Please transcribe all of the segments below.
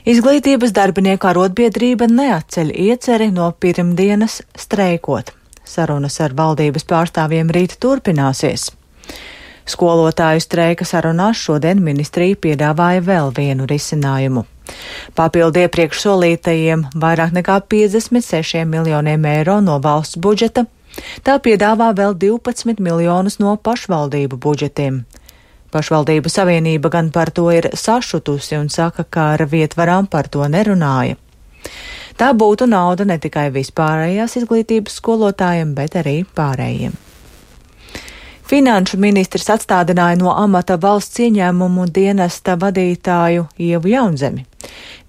Izglītības darbinieku arotbiedrība neatceļ ieceri no pirmdienas streikot. Sarunas ar valdības pārstāvjiem rīt turpināsies. Skolotāju streika sarunās šodien ministrija piedāvāja vēl vienu risinājumu. Papildu iepriekš solītajiem vairāk nekā 56 miljoniem eiro no valsts budžeta, tā piedāvā vēl 12 miljonus no pašvaldību budžetiem. Pašvaldību savienība gan par to ir sašutusi un saka, ka ar vietvarām par to nerunāja. Tā būtu nauda ne tikai vispārējās izglītības skolotājiem, bet arī pārējiem. Finanšu ministrs atstādināja no amata valsts ieņēmumu dienesta vadītāju Ievu Jaunzemi.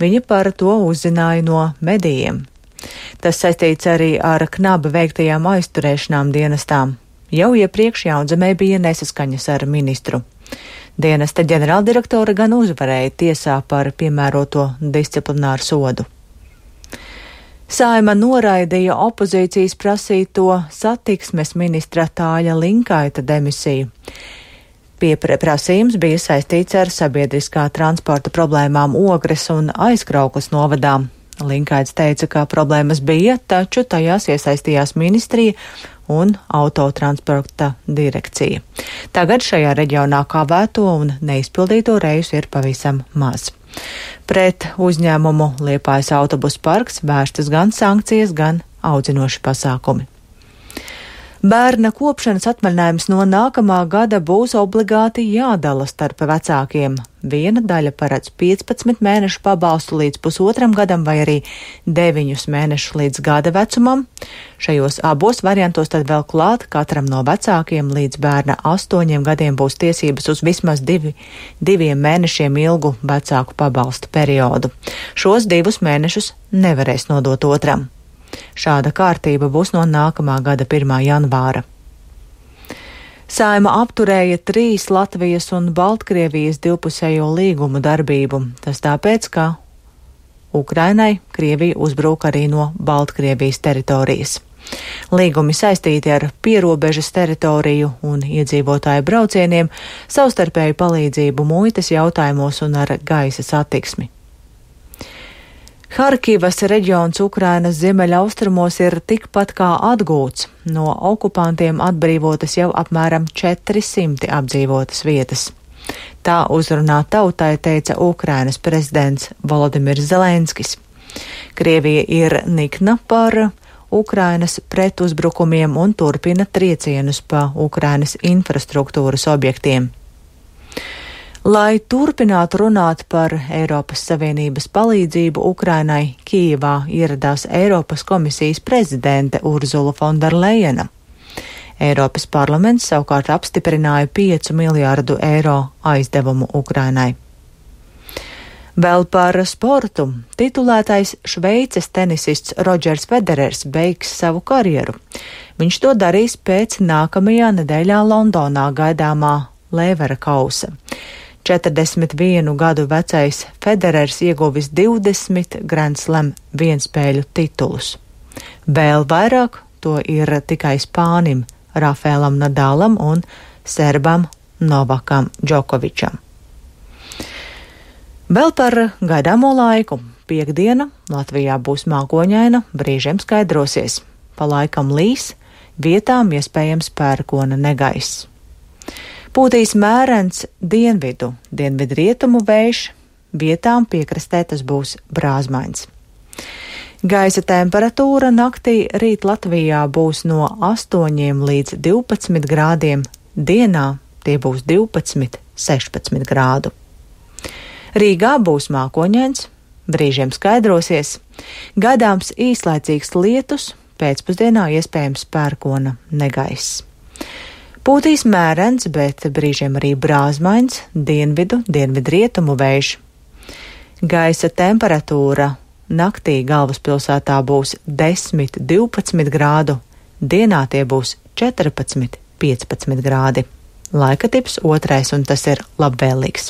Viņa par to uzzināja no medijiem. Tas saistīts arī ar knaba veiktajām aizturēšanām dienestām. Jau iepriekš Jaunzemē bija nesaskaņas ar ministru. Dienesta ģenerāldirektora gan uzvarēja tiesā par piemēroto disciplināru sodu. Saeima noraidīja opozīcijas prasīto satiksmes ministra Tāļa Linkaita demisiju. Pieprasījums bija saistīts ar sabiedriskā transporta problēmām Ogres un Aizkraukles novadā. Linkaits teica, ka problēmas bija, taču tajās iesaistījās ministrija un autotransporta direkcija. Tagad šajā reģionā kavēto un neizpildīto reisu ir pavisam maz. Pret uzņēmumu Liepājas autobusu parks vērstas gan sankcijas, gan audzinoši pasākumi. Bērna kopšanas atvaļinājums no nākamā gada būs obligāti jādala starp vecākiem. Viena daļa paredz 15 mēnešu pabalstu līdz pusotram gadam vai arī 9 mēnešus līdz gada vecumam. Šajos abos variantos tad vēl klāt katram no vecākiem līdz bērna 8 gadiem būs tiesības uz vismaz 2 mēnešiem ilgu vecāku pabalstu periodu. Šos 2 mēnešus nevarēs nodot otram. Šāda kārtība būs no nākamā gada 1. janvāra. Saeima apturēja 3 Latvijas un Baltkrievijas divpusējo līgumu darbību. Tas tāpēc, ka Ukrainai Krievija uzbrūk arī no Baltkrievijas teritorijas. Līgumi saistīti ar pierobežas teritoriju un iedzīvotāju braucieniem, savstarpēju palīdzību muitas jautājumos un ar gaisa satiksmi. Harkivas reģions Ukrainas ziemeļaustrumos ir tikpat kā atgūts. No okupantiem atbrīvotas jau apmēram 400 apdzīvotas vietas. Tā uzrunā tautai teica Ukrainas prezidents Volodimirs Zelenskis. Krievija ir nikna par Ukrainas pretuzbrukumiem un turpina triecienus pa Ukrainas infrastruktūras objektiem. Lai turpinātu runāt par Eiropas Savienības palīdzību Ukrainai, Kijevā ieradās Eiropas komisijas prezidente Urzula Fonderlejena. Eiropas parlaments savukārt apstiprināja 5 miljārdu eiro aizdevumu Ukrainai. Vēl par sportu. Titulētais Šveices tenisists Rodžers Federers beigs savu karjeru. Viņš to darīs pēc nākamajā nedēļā Londonā gaidāmā Lēvera kausa. 41 gadu vecais Federers ieguvis 20 Grand Slam vienspēļu titulus. Vēl vairāk to ir tikai Spānim Rafaelam Nadalam un Serbam Novakam Džokovičam. Vēl par gaidāmo laiku. Piektdiena Latvijā būs mākoņaina, brīžiem skaidrosies. Pa laikam līs, vietām iespējams pērkona negaiss. Pūtīs mērens dienvidrietumu vējš, vietām piekrastē tas būs brāzmains. Gaisa temperatūra naktī rīt Latvijā būs no 8 līdz 12 grādiem, dienā tie būs 12–16 grādu. Rīgā būs mākoņains, brīžiem skaidrosies, gaidāms īslaicīgs lietus, pēcpusdienā iespējams pērkona negaiss. Pūtīs mērens, bet brīžiem arī brāzmains, dienvidrietumu vējš. Gaisa temperatūra naktī galvaspilsētā būs 10–12 grādu, dienā tie būs 14–15 grādi. Laika tips 2, un tas ir labvēlīgs.